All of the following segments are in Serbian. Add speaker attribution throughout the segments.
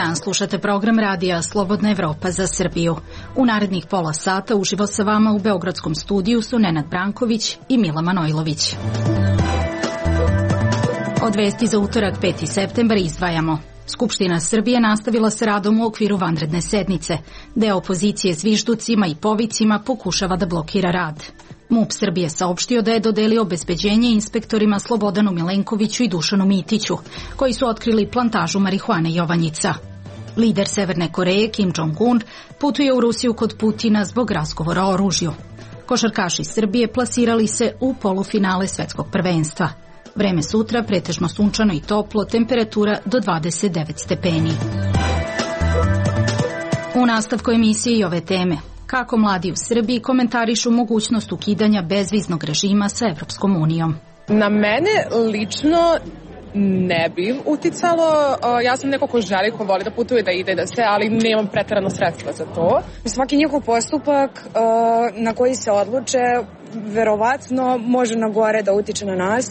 Speaker 1: dan, slušate program radija Slobodna Evropa za Srbiju. U narednih pola sata uživo sa vama u beogradskom studiju su Nenad Branković i Mila Manojlović. Od vesti za utorak 5. septembar izdvajamo. Skupština Srbije nastavila sa radom u okviru vanredne sednice. Deo opozicije zvižducima i povicima pokušava da blokira rad. MUP Srbije saopštio da je dodelio obezbeđenje inspektorima Slobodanu Milenkoviću i Dušanu Mitiću, koji su otkrili plantažu marihuane Jovanjica. Lider Severne Koreje Kim Jong-un putuje u Rusiju kod Putina zbog razgovora o oružju. Košarkaši Srbije plasirali se u polufinale svetskog prvenstva. Vreme sutra pretežno sunčano i toplo, temperatura do 29 stepeni. U nastavku emisije i ove teme. Kako mladi u Srbiji komentarišu mogućnost ukidanja bezviznog režima sa Evropskom unijom?
Speaker 2: Na mene lično ne bi uticalo. Ja sam neko ko želi, ko voli da putuje, da ide, da se, ali nemam preterano sredstva za to.
Speaker 3: Svaki njihov postupak na koji se odluče verovatno može na gore da utiče na nas,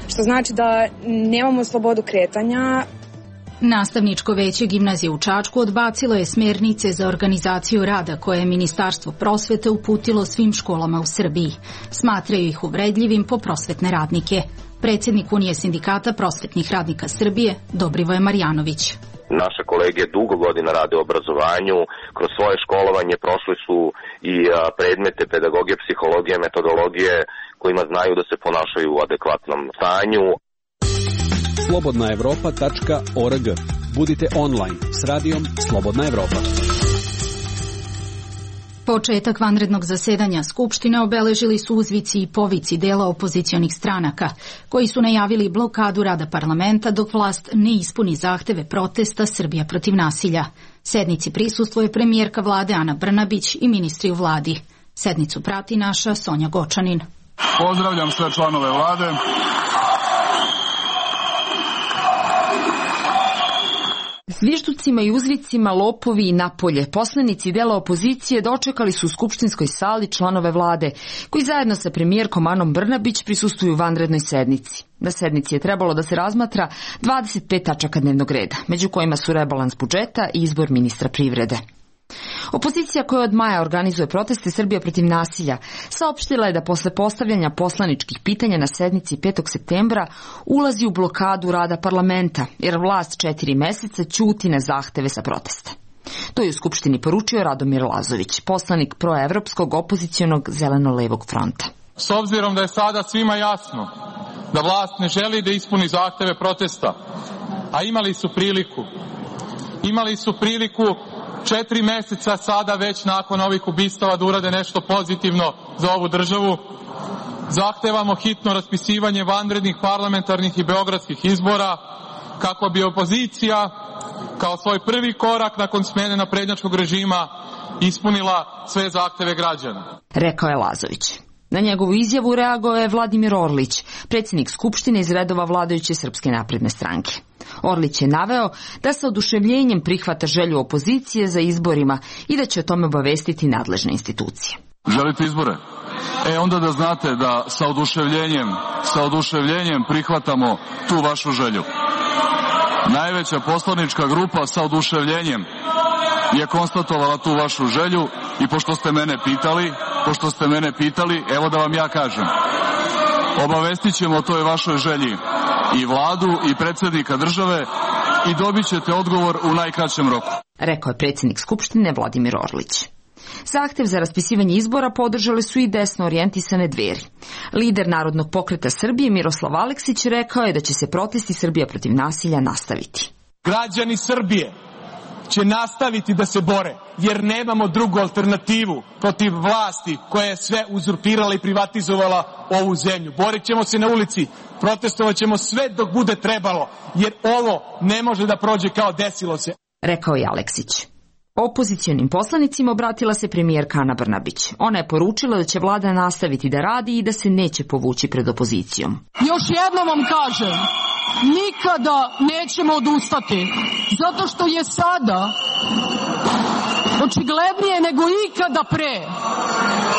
Speaker 3: što znači da nemamo slobodu kretanja.
Speaker 1: Nastavničko veće gimnazije u Čačku odbacilo je smernice za organizaciju rada koje je Ministarstvo prosvete uputilo svim školama u Srbiji. Smatraju ih uvredljivim po prosvetne radnike. Predsjednik Unije sindikata prosvetnih radnika Srbije, Dobrivoje Marjanović.
Speaker 4: Naše kolege dugo godina rade u obrazovanju, kroz svoje školovanje prošli su i predmete pedagogije, psihologije, metodologije kojima znaju da se ponašaju u adekvatnom stanju.
Speaker 5: slobodnaevropa.org. Budite online s radijom Slobodna Evropa.
Speaker 1: Početak vanrednog zasedanja Skupštine obeležili su uzvici i povici dela opozicionih stranaka, koji su najavili blokadu rada parlamenta dok vlast ne ispuni zahteve protesta Srbija protiv nasilja. Sednici prisustvuje premijerka vlade Ana Brnabić i ministri u vladi. Sednicu prati naša Sonja Gočanin.
Speaker 6: Pozdravljam sve članove vlade.
Speaker 7: Zvižducima i uzvicima, lopovi i napolje, poslanici dela opozicije dočekali su u skupštinskoj sali članove vlade, koji zajedno sa premijerkom Anom Brnabić prisustvuju vanrednoj sednici. Na sednici je trebalo da se razmatra 25 tačaka dnevnog reda, među kojima su rebalans budžeta i izbor ministra privrede. Opozicija koja od maja organizuje proteste Srbija protiv nasilja saopštila je da posle postavljanja poslaničkih pitanja na sednici 5. septembra ulazi u blokadu rada parlamenta, jer vlast 4 meseca ćuti na zahteve sa protesta. To je u Skupštini poručio Radomir Lazović, poslanik proevropskog opozicionog Zeleno-levog fronta.
Speaker 6: S obzirom da je sada svima jasno da vlast ne želi da ispuni zahteve protesta, a imali su priliku 4 meseca sada već nakon ovih ubistava da urade nešto pozitivno za ovu državu. Zahtevamo hitno raspisivanje vanrednih parlamentarnih i beogradskih izbora kako bi opozicija kao svoj prvi korak nakon smene naprednjačkog režima ispunila sve zahteve građana.
Speaker 7: Rekao je Lazović. Na njegovu izjavu reagovao je Vladimir Orlić, predsjednik Skupštine iz redova vladajuće Srpske napredne stranke. Orlić je naveo da sa oduševljenjem prihvata želju opozicije za izborima i da će o tome obavestiti nadležne institucije.
Speaker 6: Želite izbore? Onda da znate da sa oduševljenjem prihvatamo tu vašu želju. Najveća poslanička grupa sa oduševljenjem je konstatovala tu vašu želju i pošto ste mene pitali, evo da vam ja kažem. Obavestit ćemo o toj vašoj želji i vladu i predsjednika države i dobit ćete odgovor u najkraćem roku.
Speaker 7: Rekao je predsjednik Skupštine Vladimir Orlić. Zahtev za raspisivanje izbora podržali su i desno orijentisane Dveri. Lider Narodnog pokreta Srbije Miroslav Aleksić rekao je da će se protesti Srbija protiv nasilja nastaviti.
Speaker 8: Građani Srbije će nastaviti da se bore, jer nemamo drugu alternativu protiv vlasti koja je sve uzurpirala i privatizovala ovu zemlju. Borit ćemo se na ulici, protestovat ćemo sve dok bude trebalo, jer ovo ne može da prođe kao desilo se.
Speaker 7: Rekao je Aleksić. Opozicionim poslanicima obratila se premijerka Ana Brnabić. Ona je poručila da će vlada nastaviti da radi i da se neće povući pred opozicijom.
Speaker 9: Još jednom vam kažem, nikada nećemo odustati, zato što je sada očiglednije nego ikada pre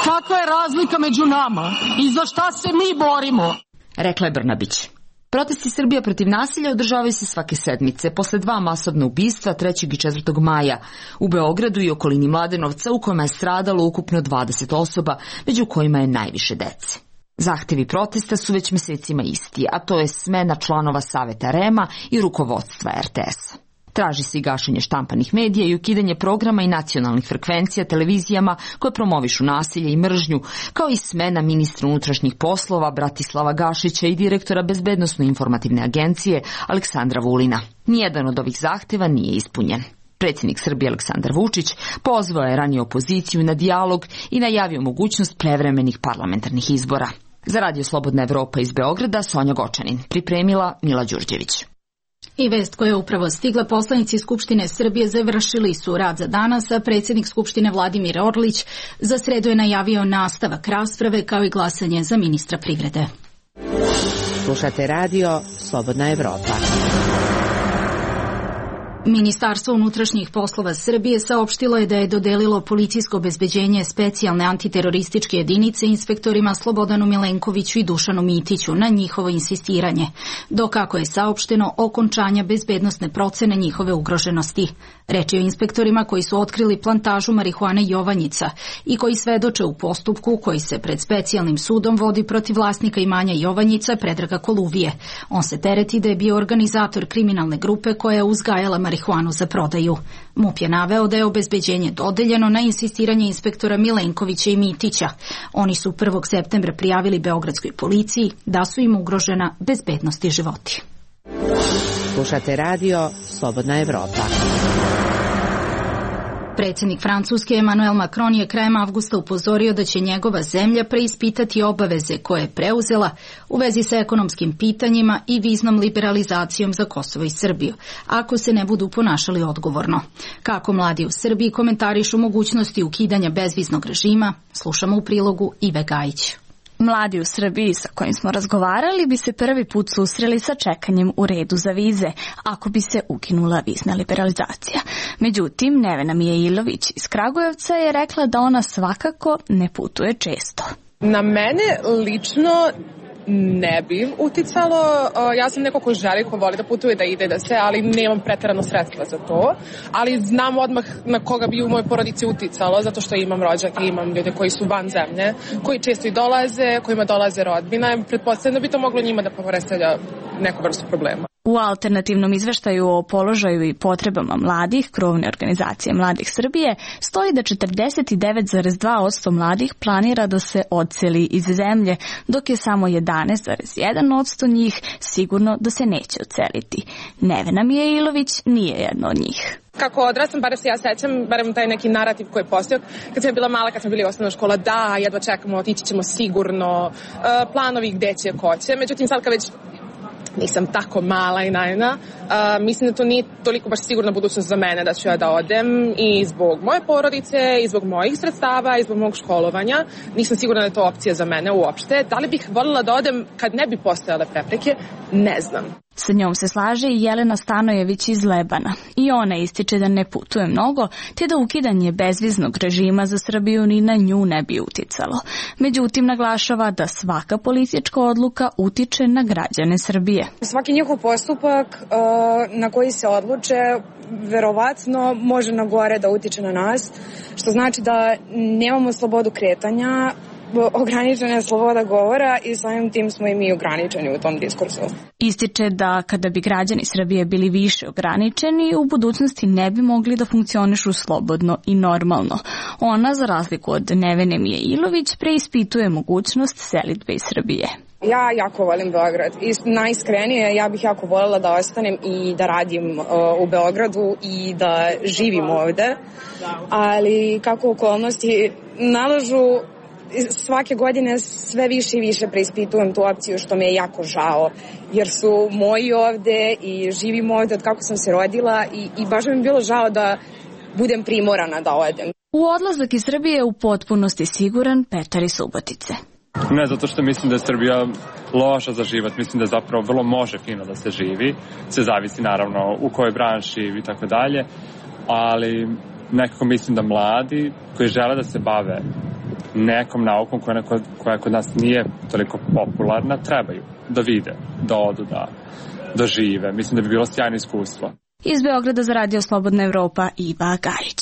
Speaker 9: kakva je razlika među nama i za šta se mi borimo.
Speaker 7: Rekla je Brnabić. Protesti Srbija protiv nasilja održavaju se svake sedmice, posle 2 masovna ubistva 3. i 4. maja u Beogradu i okolini Mladenovca, u kojima je stradalo ukupno 20 osoba, među kojima je najviše dece. Zahtevi protesta su već mesecima isti, a to je smena članova Saveta REM-a i rukovodstva RTS-a. Traži se i gašenje štampanih medija i ukidanje programa i nacionalnih frekvencija televizijama koje promovišu nasilje i mržnju, kao i smena ministra unutrašnjih poslova Bratislava Gašića i direktora Bezbednosno-informativne agencije Aleksandra Vulina. Nijedan od ovih zahteva nije ispunjen. Predsjednik Srbije Aleksandar Vučić pozvao je ranije opoziciju na dijalog i najavio mogućnost prevremenih parlamentarnih izbora. Za Radio Slobodna Evropa iz Beograda Sonja Gočanin, pripremila Mila Đurđević.
Speaker 1: I vest koja je upravo stigla, poslanici Skupštine Srbije završili su rad za danas, a predsjednik Skupštine Vladimir Orlić za sredu je najavio nastavak rasprave kao i glasanje za ministra privrede.
Speaker 10: Slušate Radio Slobodna Evropa.
Speaker 1: Ministarstvo unutrašnjih poslova Srbije saopštilo je da je dodelilo policijsko obezbeđenje specijalne antiterorističke jedinice inspektorima Slobodanu Milenkoviću i Dušanu Mitiću na njihovo insistiranje, dok kako je saopšteno okončanja bezbednosne procene njihove ugroženosti. Reč je o inspektorima koji su otkrili plantažu marihuane Jovanjica i koji svedoče u postupku koji se pred specijalnim sudom vodi protiv vlasnika imanja Jovanjica Predraga Koluvije. On se tereti da je bio organizator kriminalne grupe koja je uzgajala marihuanu za prodaju. MUP je naveo da je obezbeđenje dodeljeno na insistiranje inspektora Milenkovića i Mitića. Oni su 1. septembra prijavili beogradskoj policiji da su im ugrožena bezbednost i životi.
Speaker 10: Slušate Radio Slobodna Evropa.
Speaker 1: Predsjednik Francuske Emmanuel Macron je krajem avgusta upozorio da će njegova zemlja preispitati obaveze koje je preuzela u vezi sa ekonomskim pitanjima i viznom liberalizacijom za Kosovo i Srbiju, ako se ne budu ponašali odgovorno. Kako mladi u Srbiji komentarišu mogućnosti ukidanja bezviznog režima, slušamo u prilogu Ive Gajić.
Speaker 11: Mladi u Srbiji sa kojim smo razgovarali bi se prvi put susreli sa čekanjem u redu za vize, ako bi se ukinula vizna liberalizacija. Međutim, Nevena Mijailović iz Kragujevca je rekla da ona svakako ne putuje često.
Speaker 2: Na mene lično ne bi uticalo. Ja sam neko ko želi, ko voli da putuje, da ide, da se, ali nemam preterano sredstva za to. Ali znam odmah na koga bi u mojoj porodici uticalo, zato što imam rođake, imam ljude koji su van zemlje, koji često i dolaze, kojima dolaze rodbina. Pretpostavljam da bi to moglo njima da predstavlja neku vrstu problema.
Speaker 11: U alternativnom izveštaju o položaju i potrebama mladih, krovne organizacije Mladih Srbije, stoji da 49,2% mladih planira da se odseli iz zemlje, dok je samo 11,1% njih sigurno da se neće odseliti. Nevena Mijailović nije jedna od njih.
Speaker 2: Kako odrastam, barem se ja sećam, barem taj neki narativ koji je postojao, kad sam bila mala, kad sam bili osnovna škola, da, jedva čekamo, otići ćemo sigurno, planovi gde će, ko će. Međutim, sad kad već nisam tako mala i naivna, mislim da to nije toliko baš sigurna budućnost za mene da ću ja da odem i zbog moje porodice, i zbog mojih sredstava, i zbog mog školovanja. Nisam sigurna da je to opcija za mene uopšte. Da li bih voljela da odem kad ne bi postojale prepreke? Ne znam.
Speaker 11: Sa njom se slaže i Jelena Stanojević iz Lebana. I ona ističe da ne putuje mnogo, te da ukidanje bezviznog režima za Srbiju ni na nju ne bi uticalo. Međutim, naglašava da svaka politička odluka utiče na građane Srbije.
Speaker 3: Svaki njihov postupak na koji se odluče verovatno može na gore da utiče na nas, što znači da nemamo slobodu kretanja, ograničena je sloboda govora i samim tim smo i mi ograničeni u tom diskursu.
Speaker 11: Ističe da kada bi građani Srbije bili više ograničeni, u budućnosti ne bi mogli da funkcionišu slobodno i normalno. Ona, za razliku od Nevene Mijailović, preispituje mogućnost selidbe iz Srbije.
Speaker 3: Ja jako volim Beograd i najiskrenije ja bih jako voljela da ostanem i da radim u Beogradu i da živim ovde, ali kako okolnosti nalažu, svake godine sve više i više preispitujem tu opciju, što mi je jako žao, jer su moji ovde i živim ovde od kako sam se rodila i baš mi je bilo žao da budem primorana da odem.
Speaker 11: U odlazak iz Srbije u potpunosti siguran Petar iz Subotice.
Speaker 12: Ne zato što mislim da je Srbija loša za život, mislim da zapravo vrlo može fino da se živi, sve zavisi naravno u kojoj branši i tako dalje, ali nekako mislim da mladi koji žele da se bave nekom naukom koja kod nas nije toliko popularna, trebaju da vide, da odu, da žive. Mislim da bi bilo sjajno iskustvo.
Speaker 11: Iz Beograda za Radio Slobodna Evropa, Iva Gajić.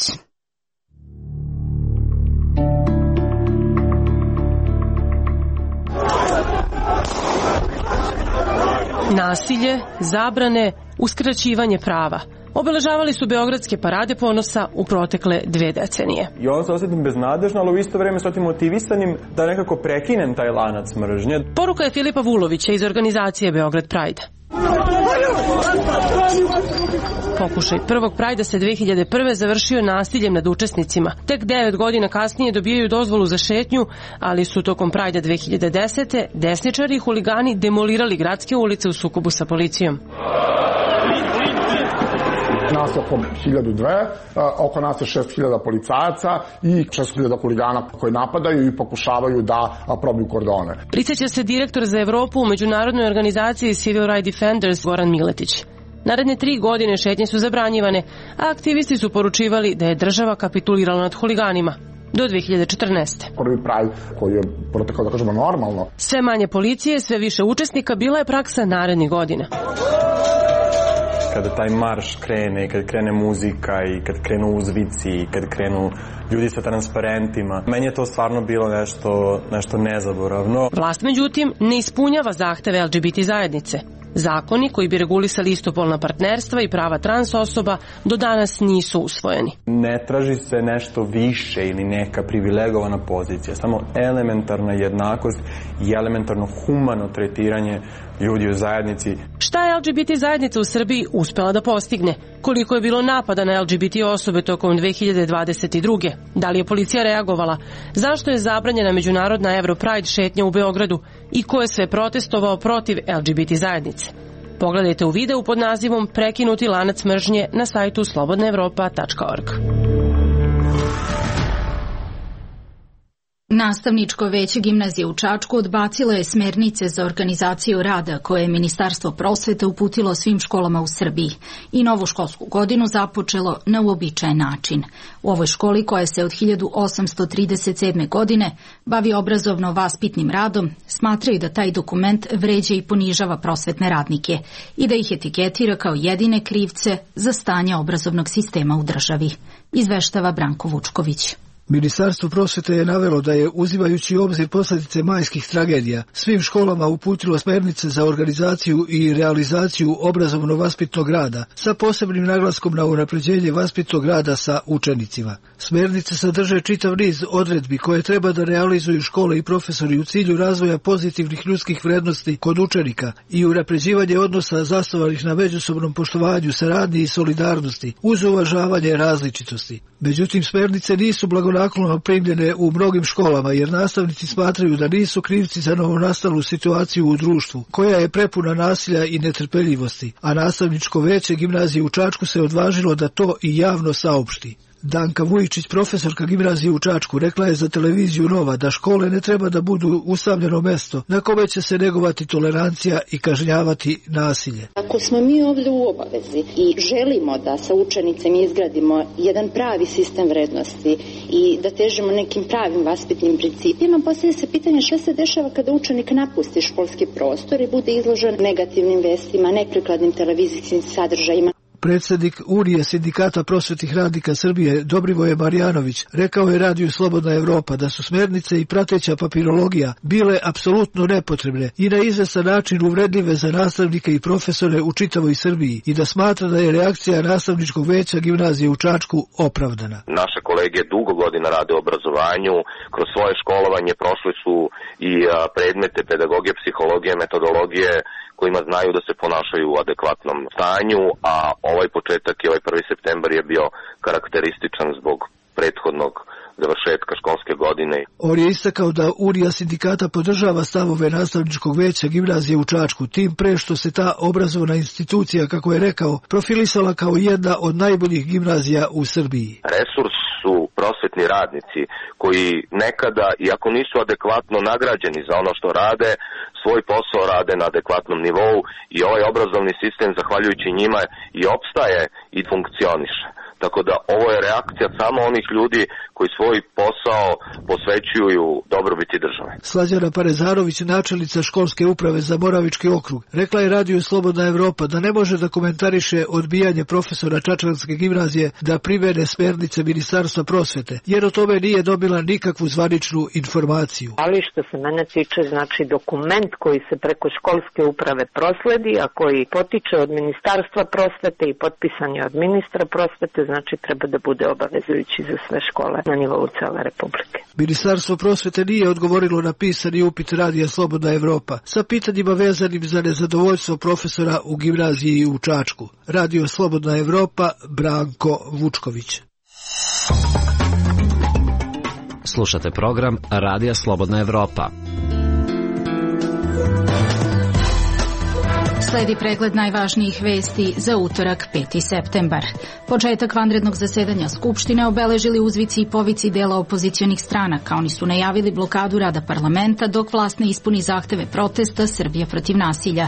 Speaker 13: Nasilje, zabrane, uskraćivanje prava. Obeležavali su beogradske parade ponosa u protekle 2 decenije.
Speaker 14: I onda se osjetim beznadežno, ali u isto vreme se osjetim motivisanim da nekako prekinem taj lanac mržnje.
Speaker 13: Poruka je Filipa Vulovića iz organizacije Beograd Pride. Pokušaj prvog Prajda se 2001. završio nasiljem nad učesnicima. Tek 9 godina kasnije dobijaju dozvolu za šetnju, ali su tokom Prajda 2010. desničari i huligani demolirali gradske ulice u sukobu sa policijom.
Speaker 15: Nas je oko 1002, oko nas je 6000 policajaca i 6000 huligana koji napadaju i pokušavaju da probiju kordone.
Speaker 13: Prisjeća se direktor za Evropu u međunarodnoj organizaciji Civil Rights Defenders Goran Miletić. Naredne 3 godine šetnje su zabranjivane, a aktivisti su poručivali da je država kapitulirala nad huliganima. Do 2014.
Speaker 15: Prvi Pride koji je protekao, da kažemo, normalno.
Speaker 13: Sve manje policije, sve više učesnika, bila je praksa narednih godina.
Speaker 14: Kada taj marš krene, kad krene muzika i kad krenu uzvici i kad krenu ljudi sa transparentima, meni je to stvarno bilo nešto nezaboravno.
Speaker 13: Vlast, međutim, ne ispunjava zahteve LGBT zajednice. Zakoni koji bi regulisali istopolna partnerstva i prava trans osoba do danas nisu usvojeni.
Speaker 14: Ne traži se nešto više ili neka privilegovana pozicija, samo elementarna jednakost i elementarno humano tretiranje ljudi u zajednici.
Speaker 13: Šta je LGBT zajednica u Srbiji uspela da postigne? Koliko je bilo napada na LGBT osobe tokom 2022. Da li je policija reagovala? Zašto je zabranjena međunarodna Europride šetnja u Beogradu? I ko je sve protestovao protiv LGBT zajednice? Pogledajte u videu pod nazivom Prekinuti lanac mržnje na sajtu slobodnaevropa.org.
Speaker 1: Nastavničko veće gimnazije u Čačku odbacilo je smernice za organizaciju rada koje je Ministarstvo prosvete uputilo svim školama u Srbiji i novu školsku godinu započelo na uobičajen način. U ovoj školi, koja se od 1837. godine bavi obrazovno-vaspitnim radom, smatraju da taj dokument vređa i ponižava prosvetne radnike i da ih etiketira kao jedine krivce za stanje obrazovnog sistema u državi. Izveštava Branko Vučković.
Speaker 16: Ministarstvo prosvete je navelo da je, uzimajući u obzir posljedice majskih tragedija, svim školama uputilo smernice za organizaciju i realizaciju obrazovno-vaspitnog rada sa posebnim naglaskom na unapređenje vaspitnog rada sa učenicima. Smernice sadrže čitav niz odredbi koje treba da realizuju škole i profesori u cilju razvoja pozitivnih ljudskih vrednosti kod učenika i unapređivanje odnosa zasnovanih na međusobnom poštovanju, saradnji i solidarnosti uz uvažavanje različitosti. Međutim, smernice nisu blagonaklono primljene u mnogim školama jer nastavnici smatraju da nisu krivci za novonastalu situaciju u društvu, koja je prepuna nasilja i netrpeljivosti, a nastavničko veće gimnazije u Čačku se odvažilo da to i javno saopšti. Danka Vujičić, profesorka gimnazije u Čačku, rekla je za televiziju Nova da škole ne treba da budu usamljeno mesto na kome će se negovati tolerancija i kažnjavati nasilje.
Speaker 17: Ako smo mi ovdje u obavezi i želimo da sa učenicima izgradimo jedan pravi sistem vrednosti i da težimo nekim pravim vaspitnim principima, postavlja se pitanje šta se dešava kada učenik napusti školski prostor i bude izložen negativnim vestima, neprikladnim televizijskim sadržajima.
Speaker 16: Predsjednik Unije sindikata prosvetnih radnika Srbije Dobrivoje Marjanović rekao je Radiju Slobodna Evropa da su smernice i prateća papirologija bile apsolutno nepotrebne i na izvestan način uvredljive za nastavnike i profesore u čitavoj Srbiji i da smatra da je reakcija nastavničkog veća gimnazije u Čačku opravdana.
Speaker 4: Naše kolege dugo godina rade u obrazovanju, kroz svoje školovanje prošli su i predmete pedagogije, psihologije, metodologije kojima znaju da se ponašaju u adekvatnom stanju, a ovaj početak i ovaj 1. septembar je bio karakterističan zbog prethodnog završetka školske godine.
Speaker 16: On je istakao da Unija sindikata podržava stavove nastavničkog veća gimnazije u Čačku, tim pre što se ta obrazovna institucija, kako je rekao, profilisala kao jedna od najboljih gimnazija u Srbiji.
Speaker 4: Resurs su prosvetni radnici koji nekada, iako nisu adekvatno nagrađeni za ono što rade, svoj posao rade na adekvatnom nivou i ovaj obrazovni sistem, zahvaljujući njima, i opstaje i funkcioniše. Tako da ovo je reakcija samo onih ljudi koji svoj posao posvećuju dobrobiti države.
Speaker 16: Slađana Parezarović, načelnica školske uprave za Moravički okrug, rekla je radiju Slobodna Evropa da ne može da komentariše odbijanje profesora Čačanske gimnazije da primene smernice Ministarstva prosvete, jer o tome nije dobila nikakvu zvaničnu informaciju.
Speaker 18: Ali što se mene tiče, znači dokument koji se preko školske uprave prosledi, a koji potiče od Ministarstva prosvete i potpisan je od ministra prosvete, znači treba da bude obavezujući za sve škole na nivou cele Republike.
Speaker 16: Ministarstvo prosvete nije odgovorilo na pisani upit radija Slobodna Evropa sa pitanjima vezanim za nezadovoljstvo profesora u gimnaziji u Čačku. Radio Slobodna Evropa, Branko Vučković.
Speaker 19: Slušate program Radija Slobodna Evropa.
Speaker 1: Sledi pregled najvažnijih vesti za utorak 5. septembar. Početak vanrednog zasedanja Skupštine obeležili uzvici i povici dela opozicionih stranaka. Oni su najavili blokadu rada parlamenta dok vlast ne ispuni zahteve protesta Srbija protiv nasilja.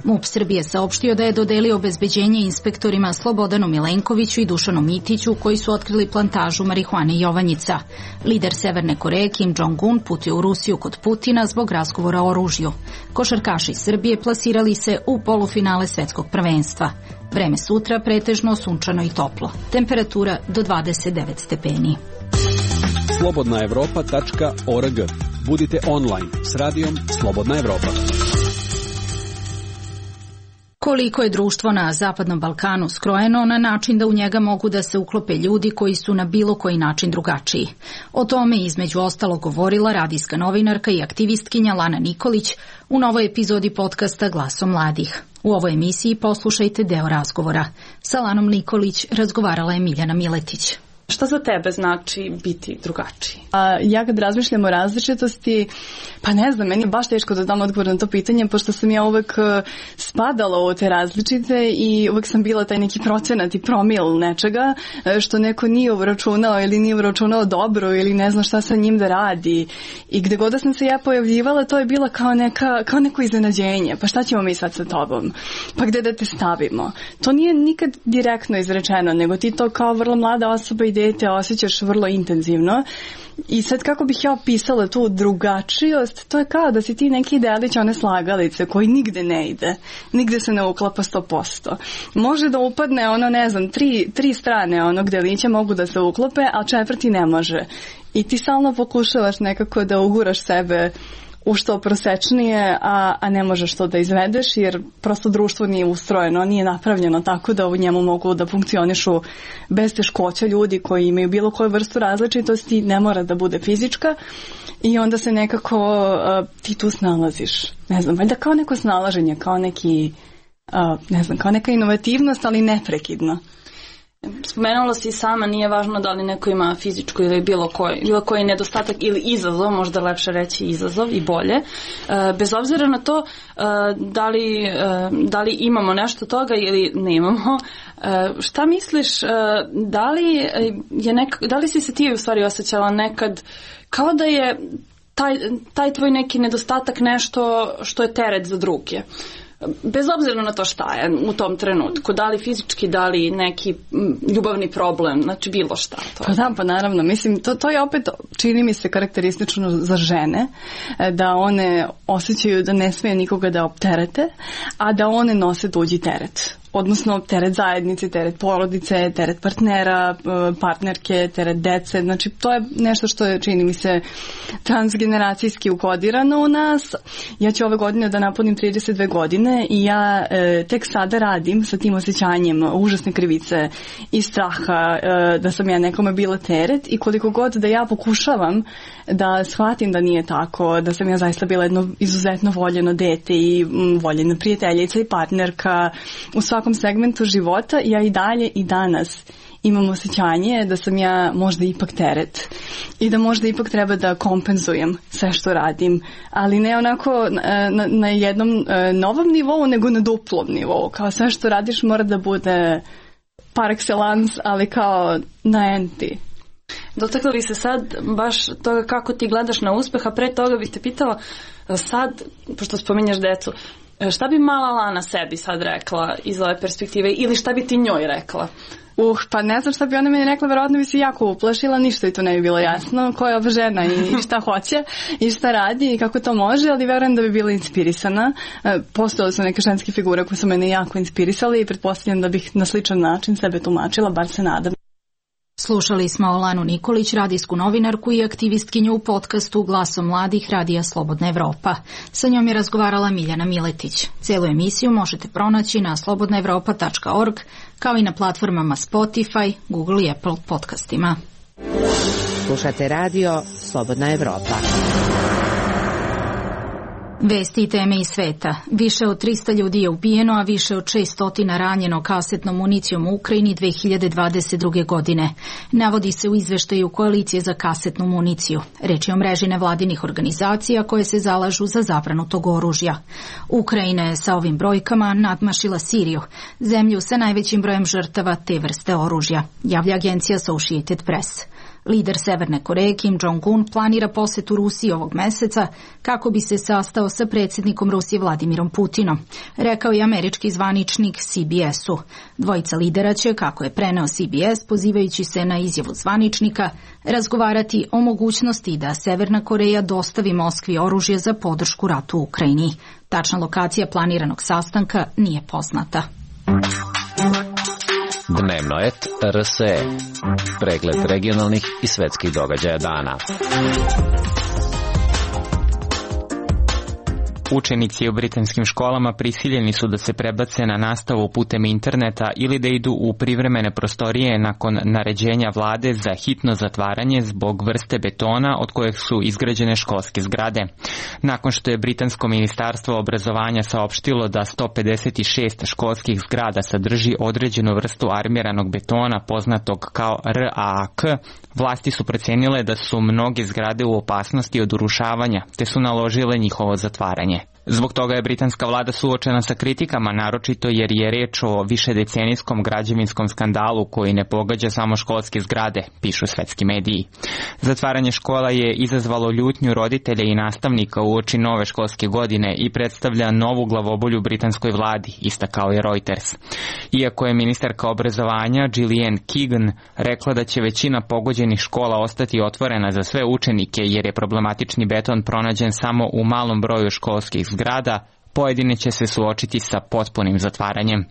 Speaker 1: MUP Srbije saopštio da je dodelio obezbeđenje inspektorima Slobodanu Milenkoviću i Dušanu Mitiću koji su otkrili plantažu marihuane Jovanjica. Lider Severne Koreje Kim Jong-un putio u Rusiju kod Putina zbog razgovora o oružju. Košarkaši Srbije plasirali se u polufinale svetskog prvenstva. Vreme sutra pretežno sunčano i toplo. Temperatura do 29 stepeni.
Speaker 5: slobodnaevropa.org. Budite online s radijom Slobodna Evropa.
Speaker 1: Koliko je društvo na Zapadnom Balkanu skrojeno na način da u njega mogu da se uklope ljudi koji su na bilo koji način drugačiji. O tome između ostalo govorila radijska novinarka i aktivistkinja Lana Nikolić u novoj epizodi podcasta Glasom mladih. U ovoj emisiji poslušajte deo razgovora. Sa Lanom Nikolić razgovarala je Miljana Miletić.
Speaker 20: Šta za tebe znači biti drugačiji?
Speaker 21: Ja kad razmišljam o različitosti, pa ne znam, meni je baš teško da dam odgovor na to pitanje, pošto sam ja uvek spadala u te različite i uvek sam bila taj neki procenat i promil nečega, što neko nije uračunao ili nije uračunao dobro ili ne zna šta sa njim da radi. I gde god da sam se ja pojavljivala, to je bila kao neko iznenađenje. Pa šta ćemo mi sad sa tobom? Pa gde da te stavimo? To nije nikad direktno izrečeno, nego ti to kao vrlo mlada osoba i dete osjećaš vrlo intenzivno. I sad kako bih ja opisala tu drugačijost, to je kao da si ti neki delić one slagalice koji nigde ne ide, nigde se ne uklapa 100%. Može da upadne ono, ne znam, tri strane onog delića mogu da se uklope, a četvrti ne može. I ti stalno pokušavaš nekako da uguraš sebe u što prosečnije, a ne možeš to da izvedeš, jer prosto društvo nije ustrojeno, nije napravljeno tako da u njemu mogu da funkcionišu bez teškoća ljudi koji imaju bilo koju vrstu različitosti, ne mora da bude fizička, i onda se nekako ti tu snalaziš. Ne znam, valjda kao neko snalaženje, kao neki, ne znam, kao neka inovativnost, ali neprekidno.
Speaker 20: Spomenula si sama, nije važno da li neko ima fizičku ili bilo koji nedostatak ili izazov, možda lepše reći izazov i bolje. Bez obzira na to da li imamo nešto toga ili nemamo, šta misliš, da li si se ti u stvari osjećala nekad kao da je taj tvoj neki nedostatak nešto što je teret za druge? Bez obzira na to šta je u tom trenutku, da li fizički, da li neki ljubavni problem, znači bilo šta.
Speaker 21: Pa naravno, mislim, to je opet, čini mi se, karakteristično za žene, da one osjećaju da ne smije nikoga da opterete, a da one nose tuđi teret. Odnosno teret zajednice, teret porodice, teret partnera, partnerke, teret dece. Znači to je nešto što je, čini mi se, transgeneracijski ukodirano u nas. Ja ću ove godine da napunim 32 godine i ja tek sada radim sa tim osjećanjem užasne krivice i straha da sam ja nekome bila teret, i koliko god da ja pokušavam da shvatim da nije tako, da sam ja zaista bila jedno izuzetno voljeno dete i voljena prijateljica i partnerka u svakom segmentu života, ja i dalje i danas imam osjećanje da sam ja možda ipak teret i da možda ipak treba da kompenzujem sve što radim, ali ne onako na jednom novom nivou, nego na duplom nivou. Kao sve što radiš mora da bude par excellence, ali kao na enti.
Speaker 20: Dotakla bi se sad baš toga kako ti gledaš na uspeh, a pre toga bih te pitala sad, pošto spominjaš decu, Šta bi mala Lana sebi sad rekla iz ove perspektive ili šta bi ti njoj rekla?
Speaker 21: Pa ne znam šta bi ona meni rekla, verovatno bi se jako uplašila, ništa i to ne bi bilo jasno, koja je ova žena i šta hoće i šta radi i kako to može, ali verujem da bi bila inspirisana. Postojale su neke ženske figure koje su mene jako inspirisali i pretpostavljam da bih na sličan način sebe tumačila, bar se nadam.
Speaker 1: Slušali smo Lanu Nikolić, radijsku novinarku i aktivistkinju u podcastu Glasom mladih Radija Slobodna Evropa. Sa njom je razgovarala Miljana Miletić. Cijelu emisiju možete pronaći na slobodnaevropa.org, kao i na platformama Spotify, Google i Apple podcastima.
Speaker 10: Slušate radio Slobodna Evropa.
Speaker 1: Vesti i teme iz sveta. Više od 300 ljudi je ubijeno, a više od 600 ranjeno kasetnom municijom u Ukrajini 2022. godine. Navodi se u izveštaju Koalicije za kasetnu municiju. Reč je o mreži nevladinih organizacija koje se zalažu za zabranu tog oružja. Ukrajina je sa ovim brojkama nadmašila Siriju, zemlju sa najvećim brojem žrtava te vrste oružja, javlja agencija Associated Press. Lider Severne Koreje Kim Jong-un planira posetu Rusiji ovog meseca kako bi se sastao sa predsjednikom Rusije Vladimirom Putinom, rekao je američki zvaničnik CBS-u. Dvojica lidera će, kako je preneo CBS, pozivajući se na izjavu zvaničnika, razgovarati o mogućnosti da Severna Koreja dostavi Moskvi oružje za podršku ratu u Ukrajini. Tačna lokacija planiranog sastanka nije poznata.
Speaker 19: Dnevnoet RSE. Pregled regionalnih i svetskih događaja dana.
Speaker 6: Učenici u britanskim školama prisiljeni su da se prebace na nastavu putem interneta ili da idu u privremene prostorije nakon naređenja vlade za hitno zatvaranje zbog vrste betona od kojeg su izgrađene školske zgrade. Nakon što je britansko ministarstvo obrazovanja saopštilo da 156 školskih zgrada sadrži određenu vrstu armiranog betona poznatog kao RAAK, vlasti su procenile da su mnoge zgrade u opasnosti od urušavanja, te su naložile njihovo zatvaranje. Zbog toga je britanska vlada suočena sa kritikama, naročito jer je reč o višedecenijskom građevinskom skandalu koji ne pogađa samo školske zgrade, pišu svetski mediji. Zatvaranje škola je izazvalo ljutnju roditelja i nastavnika uoči nove školske godine i predstavlja novu glavobolju britanskoj vladi, istakao je Reuters. Iako je ministarka obrazovanja Gillian Keegan rekla da će većina pogođenih škola ostati otvorena za sve učenike jer je problematični beton pronađen samo u malom broju školskih zgrada, pojedine će se suočiti sa potpunim zatvaranjem.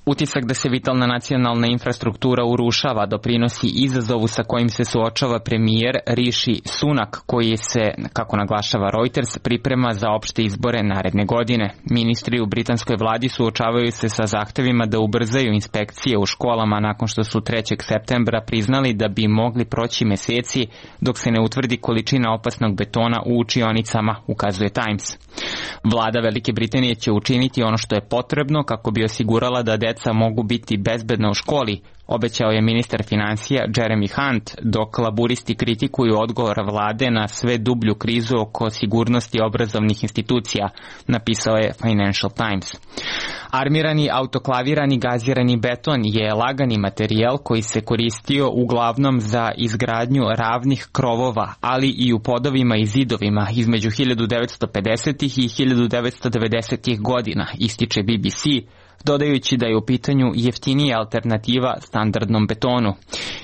Speaker 6: Utisak da se vitalna nacionalna infrastruktura urušava doprinosi izazovu sa kojim se suočava premijer Rishi Sunak, koji se, kako naglašava Reuters, priprema za opšte izbore naredne godine. Ministri u britanskoj vladi suočavaju se sa zahtevima da ubrzaju inspekcije u školama nakon što su 3. septembra priznali da bi mogli proći meseci dok se ne utvrdi količina opasnog betona u učionicama, ukazuje Times. Vlada Velike Britanije će učiniti ono što je potrebno kako bi osigurala da deca mogu biti bezbedna u školi, obećao je ministar financija Jeremy Hunt, dok laburisti kritikuju odgovor vlade na sve dublju krizu oko sigurnosti obrazovnih institucija, napisao je Financial Times. Armirani autoklavirani gazirani beton je lagani materijal koji se koristio uglavnom za izgradnju ravnih krovova, ali i u podovima i zidovima između 1950. i 1990. godina, ističe BBC, dodajući da je u pitanju jeftinija alternativa standardnom betonu.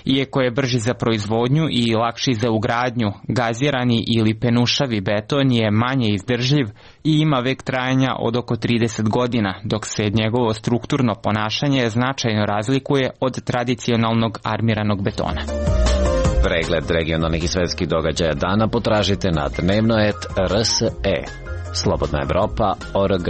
Speaker 6: Iako je brži za proizvodnju i lakši za ugradnju, gazirani ili penušavi beton je manje izdržljiv i ima vek trajanja od oko 30 godina, dok se njegovo strukturno ponašanje značajno razlikuje od tradicionalnog armiranog betona.
Speaker 19: Pregled regionalnih i svetskih događaja dana potražite na Dnevnoet RSE. Slobodna Evropa.org.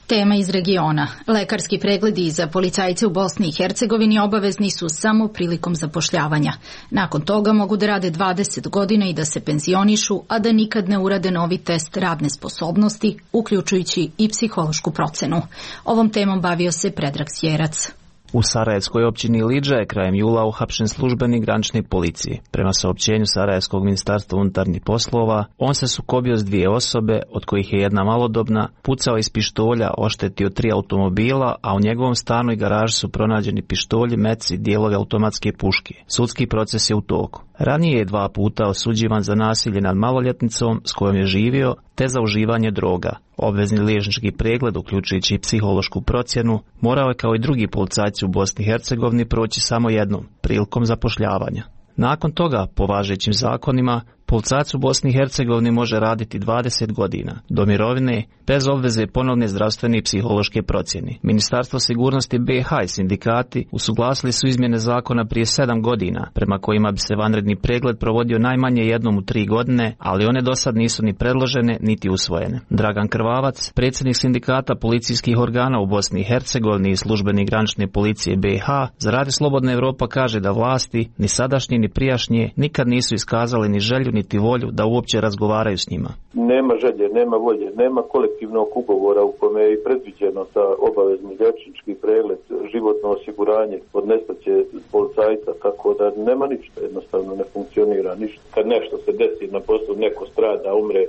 Speaker 1: Tema iz regiona. Lekarski pregledi za policajce u Bosni i Hercegovini obavezni su samo prilikom zapošljavanja. Nakon toga mogu da rade 20 godina i da se penzionišu, a da nikad ne urade novi test radne sposobnosti, uključujući i psihološku procenu. Ovom temom bavio se Predrag Sjerac.
Speaker 22: U Sarajevskoj općini Lidža je krajem jula uhapšen službenik granične policije. Prema saopćenju Sarajevskog ministarstva unutarnjih poslova, on se sukobio s 2 osobe, od kojih je jedna malodobna, pucao iz pištolja, oštetio 3 automobila, a u njegovom stanu i garaži su pronađeni pištolji, meci i dijelovi automatske puške. Sudski proces je u toku. Ranije je 2 puta osuđivan za nasilje nad maloljetnicom s kojom je živio, te za uživanje droga. Obvezni liječnički pregled, uključujući i psihološku procjenu, morao je kao i drugi policajci u Bosni i Hercegovini proći samo jednom, prilikom zapošljavanja. Nakon toga, po važećim zakonima, policajac u Bosni i Hercegovini može raditi 20 godina, do mirovine, bez obveze ponovne zdravstvene i psihološke procjene. Ministarstvo sigurnosti BiH i sindikati usuglasili su izmjene zakona prije 7 godina, prema kojima bi se vanredni pregled provodio najmanje jednom u 3 godine, ali one do sad nisu ni predložene, niti usvojene. Dragan Krvavac, predsjednik sindikata policijskih organa u Bosni i Hercegovini i službenik granične policije BiH, za Radio Slobodna Evropa kaže da vlasti, ni sadašnje ni prijašnje, nikad nisu iskazali ni želju niti volju da uopće razgovaraju s njima.
Speaker 8: Nema želje, nema volje, nema kolektivnog ugovora u kome je i predviđeno da obavezni liječnički pregled, životno osiguranje od nestaće policajca, tako da nema ništa, jednostavno ne funkcionira ništa. Kad nešto se desi na poslu, neko strada, umre,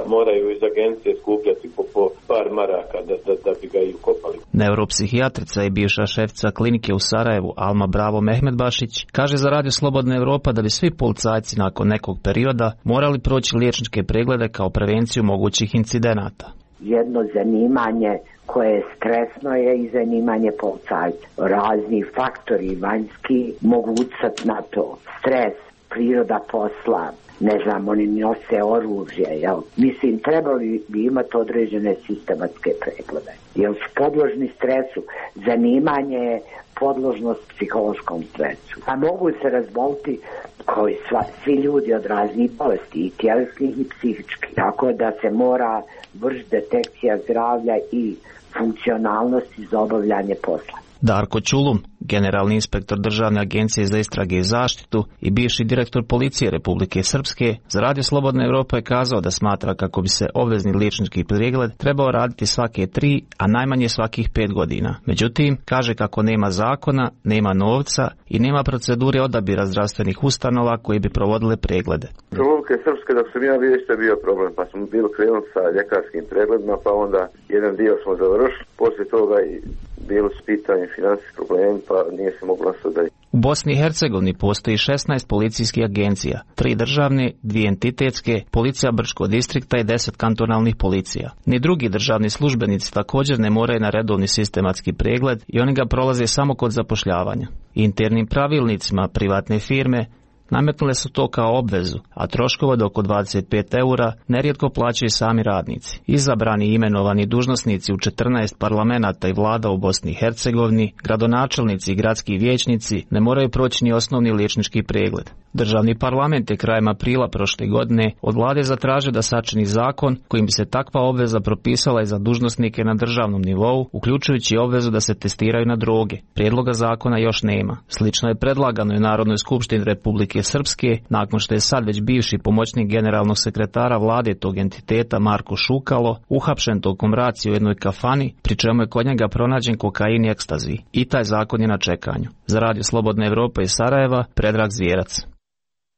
Speaker 8: moraju iz agencije skupljati po par maraka da bi ga i ukopali.
Speaker 22: Neuropsihijatrica i bivša šefica klinike u Sarajevu Alma Bravo Mehmedbašić kaže za Radio Slobodna Evropa da bi svi policajci nakon nekog perioda morali proći liječničke preglede kao prevenciju mogućih incidenata.
Speaker 9: Jedno zanimanje koje je stresno je i zanimanje policajca. Razni faktori vanjski mogu utjecati na to. Stres, priroda posla, ne znam, oni nose oružje, jel? Mislim, trebali bi imati određene sistematske preglede. Jer su podložni stresu, zanimanje je podložnost psihološkom stresu. A mogu se razboliti koji svi ljudi od raznih bolesti, i tjelesnih i psihičkih. Tako da se mora vršiti detekcija zdravlja i funkcionalnosti za obavljanje posla.
Speaker 22: Darko Čulum, generalni inspektor Državne agencije za istrage i zaštitu i bivši direktor policije Republike Srpske, za Radio Slobodna Evropa je kazao da smatra kako bi se obvezni liječnički pregled trebao raditi svake 3, a najmanje svakih 5 godina. Međutim, kaže kako nema zakona, nema novca i nema procedure odabira zdravstvenih ustanova koji bi provodile preglede.
Speaker 8: Republike Srpske, dok sam ja viješte, bio problem, pa smo bili krenuli sa ljekarskim pregledima, pa onda jedan dio smo završili, poslije toga i bilo su pitanje financijskih problema, pa nije se moglo nasledati.
Speaker 22: U Bosni i Hercegovini postoji 16 policijskih agencija, 3 državne, 2 entitetske, policija Brčkog distrikta i 10 kantonalnih policija. Ni drugi državni službenici također ne moraju na redovni sistematski pregled i oni ga prolaze samo kod zapošljavanja. Internim pravilnicima privatne firme nametnule su to kao obvezu, a troškova od oko 25 eura nerijetko plaćaju sami radnici. Izabrani i imenovani dužnosnici u 14 parlamenata i vlada u Bosni i Hercegovini, gradonačelnici i gradski vijećnici ne moraju proći ni osnovni liječnički pregled. Državni parlament je krajem aprila prošle godine od vlade zatražio da sačini zakon kojim bi se takva obveza propisala i za dužnosnike na državnom nivou, uključujući obvezu da se testiraju na droge. Prijedloga zakona još nema. Slično je predlagano i Narodnoj skupštini Republike Srpske, nakon što je sad već bivši pomoćnik generalnog sekretara vlade tog entiteta Marko Šukalo uhapšen tokom racije u jednoj kafani, pri čemu je kod njega pronađen kokain i ekstazi. I taj zakon je na čekanju. Za Radio Slobodna Evropa iz Sarajeva, Predrag Zvijerac.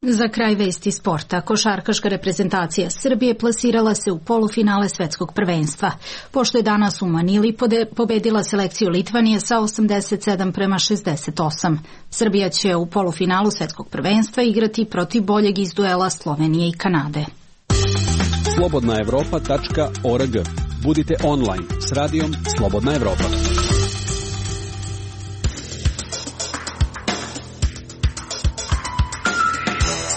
Speaker 1: Za kraj vesti sporta, košarkaška reprezentacija Srbije plasirala se u polufinale svetskog prvenstva, pošto je danas u Manili pobedila selekciju Litvanije sa 87-68. Srbija će u polufinalu svetskog prvenstva igrati protiv boljeg iz duela Slovenije i Kanade.
Speaker 5: slobodnaevropa.org. Budite online s radijom Slobodna Evropa.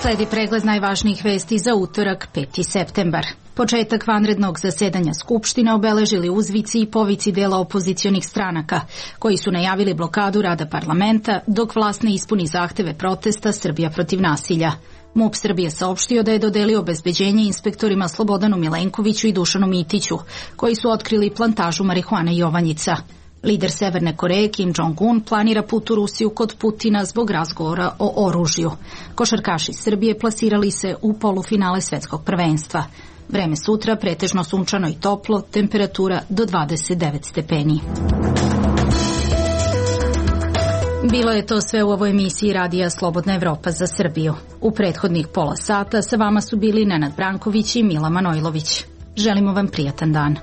Speaker 1: Sledi pregled najvažnijih vesti za utorak 5. septembar. Početak vanrednog zasedanja Skupštine obeležili uzvici i povici dela opozicionih stranaka, koji su najavili blokadu rada parlamenta dok vlast ne ispuni zahteve protesta Srbija protiv nasilja. MUP Srbije saopštio da je dodelio obezbeđenje inspektorima Slobodanu Milenkoviću i Dušanu Mitiću, koji su otkrili plantažu marihuane Jovanjica. Lider Severne Koreje Kim Jong-un planira put u Rusiju kod Putina zbog razgovora o oružju. Košarkaši Srbije plasirali se u polufinale svetskog prvenstva. Vreme sutra pretežno sunčano i toplo, temperatura do 29 stepeni. Bilo je to sve u ovoj emisiji Radija Slobodna Evropa za Srbiju. U prethodnih pola sata sa vama su bili Nenad Branković i Mila Manojlović. Želimo vam prijatan dan.